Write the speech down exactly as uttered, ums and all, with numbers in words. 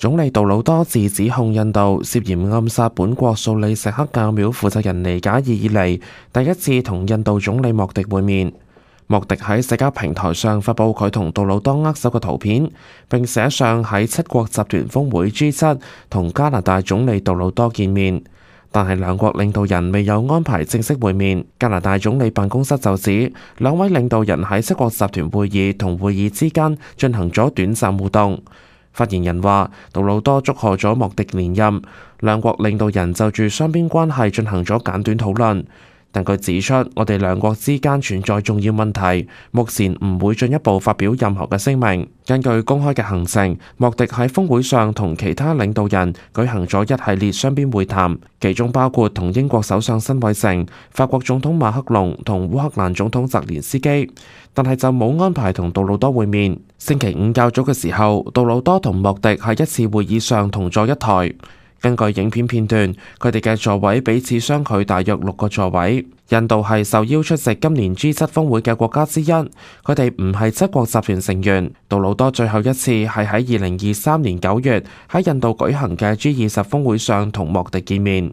總理杜魯多自指控印度涉嫌暗殺本國素里錫克教廟負責人尼賈爾以嚟，第一次同印度總理莫迪會面。莫迪喺社交平台上發布佢同杜魯多握手嘅圖片，並寫上喺七國集團峰會 G 七同加拿大總理杜魯多見面，但係兩國領導人未有安排正式會面。加拿大總理辦公室就指，兩位領導人喺七國集團會議同會議之間進行咗短暫互動。發言人話，杜魯多祝賀咗莫迪連任，兩國領導人就住雙邊關係進行咗簡短討論。但佢指出，我哋兩國之間存在重要問題，目前唔會進一步發表任何嘅聲明。根據公開嘅行程，莫迪喺峰會上同其他領導人舉行咗一系列雙邊會談，其中包括同英國首相辛偉誠、法國總統馬克龍同烏克蘭總統澤連斯基，但係就冇安排同杜魯多會面。星期五較早嘅時候，杜魯多同莫迪喺一次會議上同坐一台。根據影片片段，佢哋嘅座位彼此相距大約六個座位。印度係受邀出席今年 G 七峰會嘅國家之一，佢哋唔係七國集團成員。杜魯多最後一次係喺二零二三年九月喺印度舉行嘅 G 二十峰會上同莫迪見面。